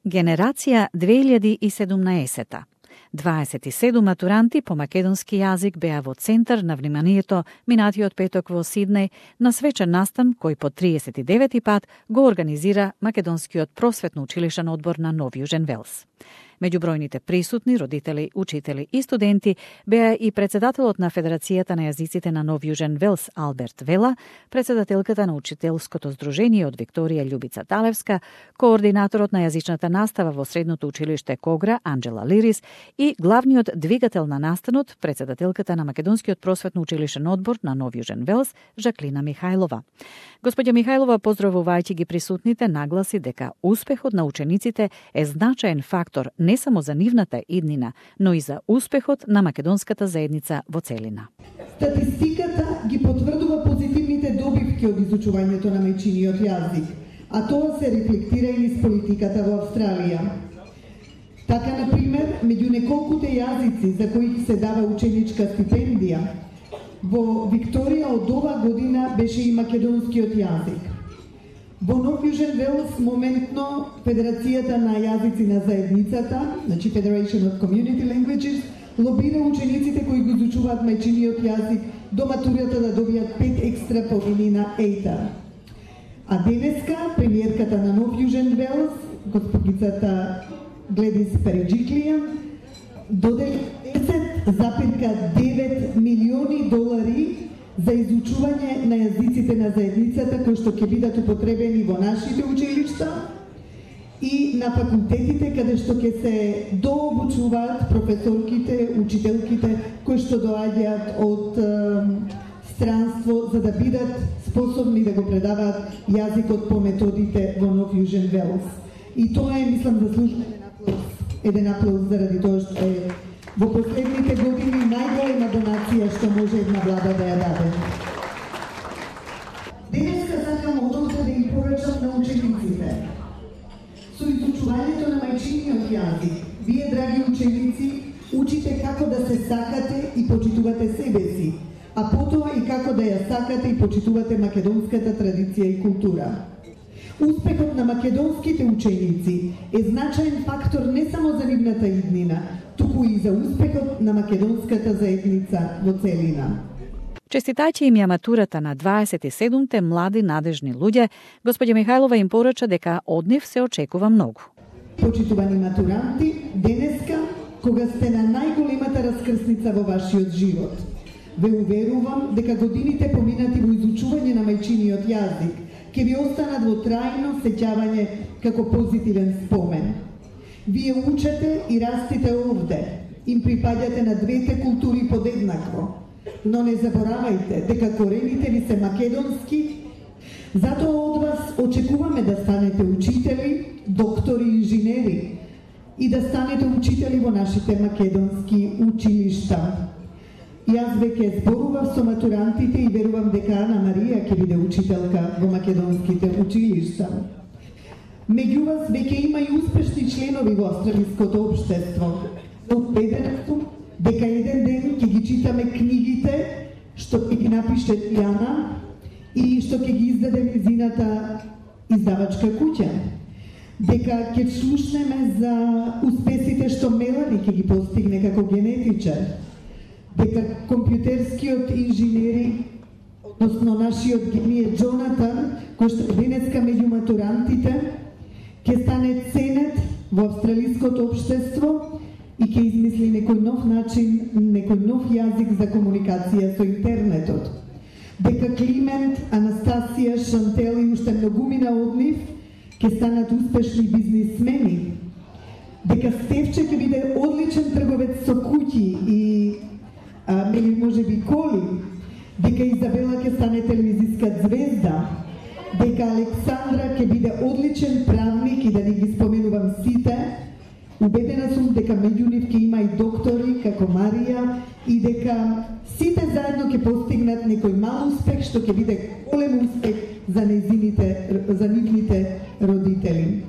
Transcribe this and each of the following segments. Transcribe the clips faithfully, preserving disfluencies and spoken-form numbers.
Генерација две илјади и седумнаесета. дваесет и седум матуранти по македонски јазик беа во центар на вниманието минатиот петок во Сиднеј на свечен настан кој по триесет и девети пат го организира Македонскиот просветно-училишен одбор на Нов Јужен Велс. Меѓу бројните присутни родители, учители и студенти беа и председателот на Федерацијата на јазиците на Нов Јужен Велс Алберт Вела, председателката на Учителското здружение од Викторија Љубица Талевска, координаторот на јазичната настава во Средното училиште Когра Анџела Лирис и главниот двигател на настанот, председателката на Македонскиот просветно-училишен одбор на Нов Јужен Велс Жаклина Михајлова. Господја Михајлова, поздравувајќи ги присутните, нагласи дека успехот на учениците е значаен фактор не само за нивната иднина, но и за успехот на македонската заедница во целина. Статистиката ги потврдува позитивните добивки од изучувањето на мајчиниот јазик, а тоа се рефлектира и низ политиката во Австралија. Така, например, меѓу неколкуте јазици за кои се дава ученичка стипендија, во Викторија од ова година беше и македонскиот јазик. Во Нов Јужен Велс моментно Федерацијата на јазици на заедницата, значи Federation of Community Languages, лобира учениците кои го изучуваат мајчиниот јазик до матурата да добијат пет екстра подини на ЕЙТА. А денеска премиерката на Нов Јужен Велс, господицата Гледис Переджиклија, додели десет запирка девет милиони долари за изучување на јазиците на заедницата кои што ќе бидат употребени во нашите училишта и на факултетите каде што ќе се дообучуваат професорките, учителките кои што доаѓаат од е, странство за да бидат способни да го предаваат јазикот по методите во Нов Јужен Велс. И тоа е, мислам, заслужен еден аплауз заради тоа што е во последните години најголема донација што може една влада да ја даде. Денеска сакам одовде да им порачам на учениците. Со изучувањето на мајчиниот јазик, вие, драги ученици, учите како да се сакате и почитувате себе си, а потоа и како да ја сакате и почитувате македонската традиција и култура. Успехот на македонските ученици е значаен фактор не само за нивната иднина, туку и за успехот на македонската заедница во целина. Честитајќи им ја матурата на дваесет и седумте млади надежни луѓе, господја Михајлова им порача дека од нив се очекува многу. Почитувани матуранти, денеска, кога сте на најголемата раскрсница во вашиот живот, ве уверувам дека годините поминати во изучување на мајчиниот јазик ќе ви останат во трајно сеќавање како позитивен спомен. Вие учете и растите овде, им припаѓате на двете култури подеднакво, но не заборавајте дека корените ви се македонски, затоа од вас очекуваме да станете учители, доктори и инженери и да станете учители во нашите македонски училишта. Јас веќе зборував со матурантите и верувам дека Ана Марија ќе биде учителка во македонските училишта. Меѓу вас веќе има и успешни членови во австралиското општество. Убеден сум дека еден ден ќе ги читаме книгите што ќе ги напише Јана и што ќе ги издаде низината издавачка куќа. Дека ќе слушнеме за успесите што Мелани ќе ги постигне како генетичар. Дека компјутерскиот инженери, односно нашиот генije Джонатан, кој што е денеска меѓу матурантите, ќе стане ценет во австралиското општество и ќе измисли некој нов начин, некој нов јазик за комуникација со интернетот. Дека Климент, Анастасија, Шантел и уште многумина од нив ќе станат успешни бизнисмени. Дека Стефче ќе биде одличен трговец со куќи и а, меѓу може би коли. Дека Изабела ќе стане телевизиска звезда. Дека Александра ќе биде одличен правник и да не ги споменувам сите. Убедена сум дека меѓу нив ќе има и доктори како Марија и дека сите заедно ќе постигнат некој мал успех што ќе биде голем успех за незините, за нивните родители.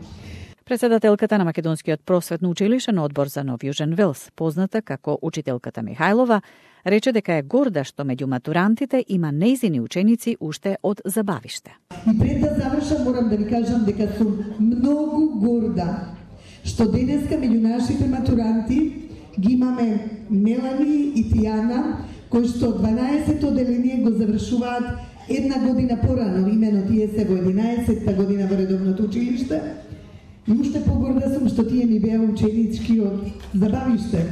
Председателката на Македонскиот просветно-училишен одбор за Нов Јужен Велс, позната како учителката Михајлова, рече дека е горда што меѓу матурантите има нејзини ученици уште од забавиште. И пред да завршам морам да ви кажам дека сум многу горда што денеска меѓу нашите матуранти ги имаме Мелани и Тијана, кои што дванаесетто одделение го завршуваат една година порано, имено тие се во единаесетта година во редовното училиште. И уште погорда сум што тие ми беа ученички од забавиште.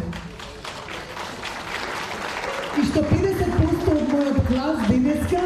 И што педесет проценти од мојот клас денеска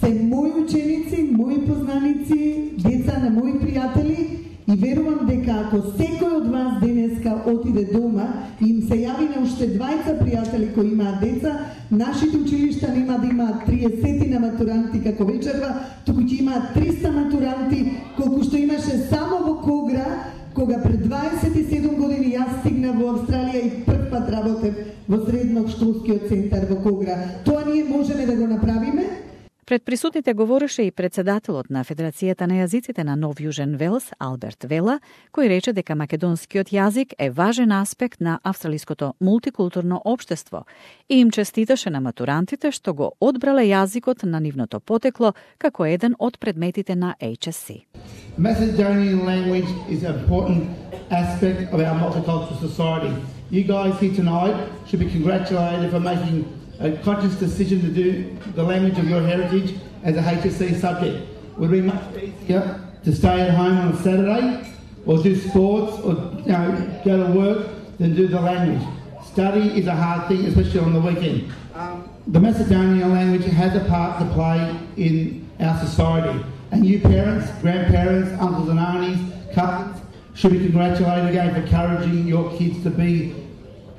се мои ученици, мои познаници, деца на мои пријатели, и верувам дека ако секој од вас денеска отиде дома и им се јави на уште двајца пријатели кои имаат деца, нашите училишта нема да имаат триесет на матуранти како вечерва, туку ќе имаат триста матуранти, колку што имаше само во Когра, кога пред дваесет и седум години јас стигнав во Австралија и прв пат работев во средношколскиот центар во Когра. Тоа ние можеме да го направиме. Пред присутните говореше и председателот на Федерацијата на јазиците на Нов Јужен Велс, Алберт Вела, кој рече дека македонскиот јазик е важен аспект на австралиското мултикултурно општество и им честиташе на матурантите што го одбрале јазикот на нивното потекло како еден од предметите на H S C. Macedonian language is an important aspect of our multicultural society. You guys here tonight should be congratulated for making a conscious decision to do the language of your heritage as a H S C subject. Would be much easier to stay at home on a Saturday or do sports or you know, go to work than do the language. Study is a hard thing, especially on the weekend. Um, the Macedonian language has a part to play in our society, and you parents, grandparents, uncles and aunties, cousins should be congratulated again for encouraging your kids to be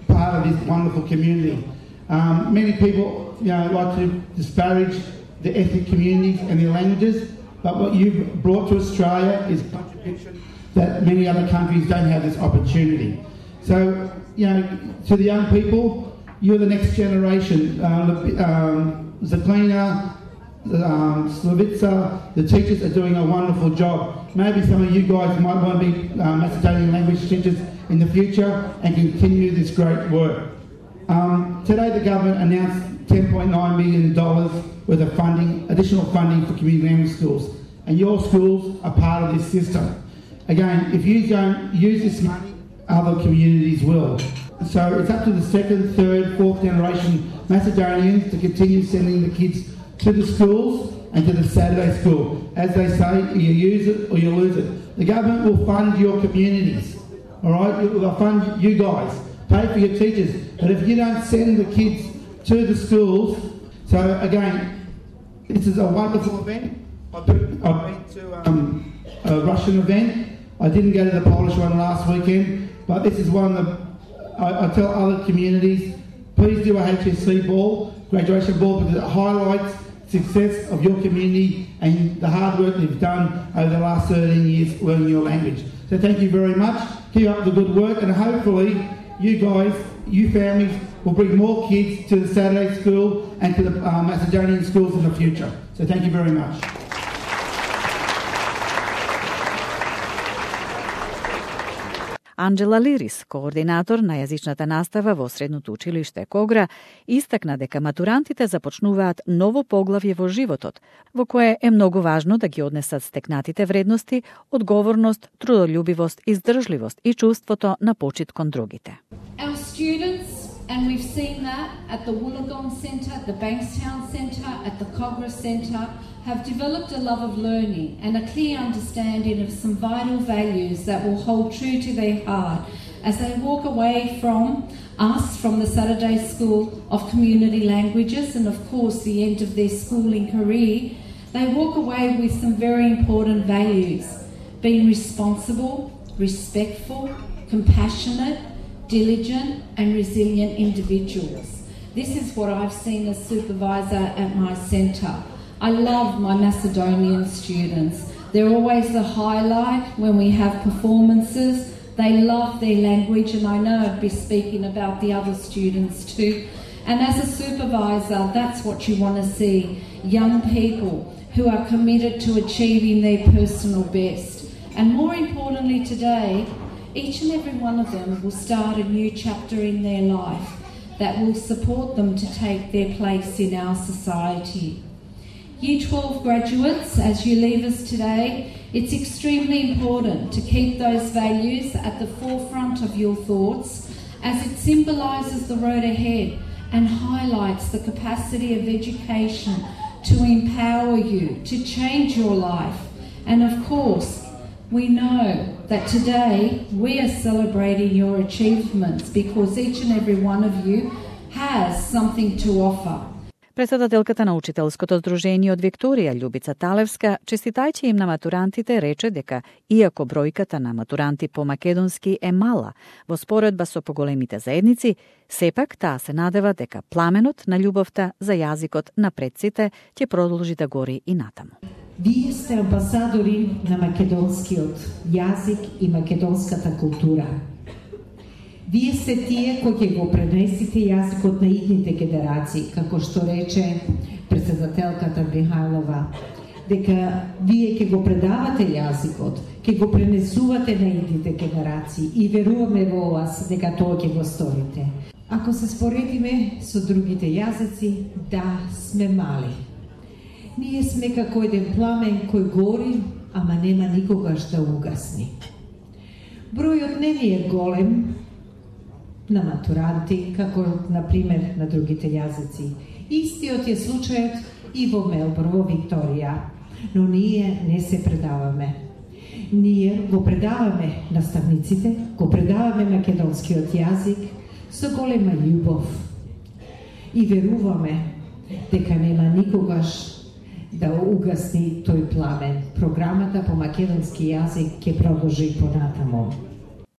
part of this wonderful community. Um, many people, you know, like to disparage the ethnic communities and their languages, but what you've brought to Australia is a contribution that many other countries don't have this opportunity. So, you know, to the young people, you're the next generation. Uh, um, Zaklina, um, Slavica, the teachers are doing a wonderful job. Maybe some of you guys might want to be uh, Macedonian language teachers in the future and continue this great work. Um, today the government announced ten point nine million dollars worth of funding, additional funding for community language schools, and your schools are part of this system. Again, if you don't use this money, other communities will. So it's up to the second, third, fourth generation Macedonians to continue sending the kids to the schools and to the Saturday school. As they say, you use it or you lose it. The government will fund your communities, all right? It will fund you guys, pay for your teachers. But if you don't send the kids to the schools, so again, this is a wonderful event. I've been, I've been to um, a Russian event. I didn't go to the Polish one last weekend, but this is one of the, I, I tell other communities, please do a H S C ball, graduation ball, because it highlights the success of your community and the hard work you've done over the last thirteen years learning your language. So thank you very much. Keep up the good work, and hopefully you guys, you families, will bring more kids to the Saturday school and to the uh, Macedonian schools in the future. So thank you very much. Анджела Лирис, координатор на јазичната настава во Средното училиште Когра, истакна дека матурантите започнуваат ново поглавје во животот, во кое е многу важно да ги однесат стекнатите вредности, одговорност, трудолюбивост, издржливост и чувството на почит кон другите. Our students, and we've seen that at the Wollongong Centre, the Bankstown Centre, at the Cogra Centre, have developed a love of learning and a clear understanding of some vital values that will hold true to their heart as they walk away from us, from the Saturday School of Community Languages, and of course the end of their schooling career. They walk away with some very important values: being responsible, respectful, compassionate, diligent and resilient individuals. This is what I've seen as supervisor at my centre. I love my Macedonian students. They're always the highlight when we have performances. They love their language, and I know I'd be speaking about the other students too. And as a supervisor, that's what you want to see, young people who are committed to achieving their personal best. And more importantly today, each and every one of them will start a new chapter in their life that will support them to take their place in our society. Year twelve graduates, as you leave us today, It's extremely important to keep those values at the forefront of your thoughts, as it symbolises the road ahead and highlights the capacity of education to empower you, to change your life. And of course, we know that today we are celebrating your achievements because each and every one of you has something to offer. Председателката на Учителското здружение од Викторија, Љубица Талевска, честитајќи им на матурантите, рече дека иако бројката на матуранти по македонски е мала во споредба со поголемите заедници, сепак таа се надева дека пламенот на љубовта за јазикот на предците ќе продолжи да гори и натаму. Вие сте амбасадори на македонскиот јазик и македонската култура. Вие сте тие кои ќе го пренесите јазикот на идните генерации, како што рече председателката Михајлова, дека вие ќе го предавате јазикот, ќе го пренесувате на идните генерации и веруваме во вас дека тоа ќе го сторите. Ако се споредиме со другите јазици, да, сме мали. Ние сме како еден пламен кој гори, ама нема никогаш да угасни. Бројот не ни е голем на матуранти, како, например, на другите јазици. Истиот е случајот и во Мелбурн, во Викторија, но ние не се предаваме. Ние го предаваме наставниците, го предаваме македонскиот јазик со голема љубов и веруваме дека нема никогаш да угасни тој пламен. Програмата по македонски јазик ќе продолжи понатаму.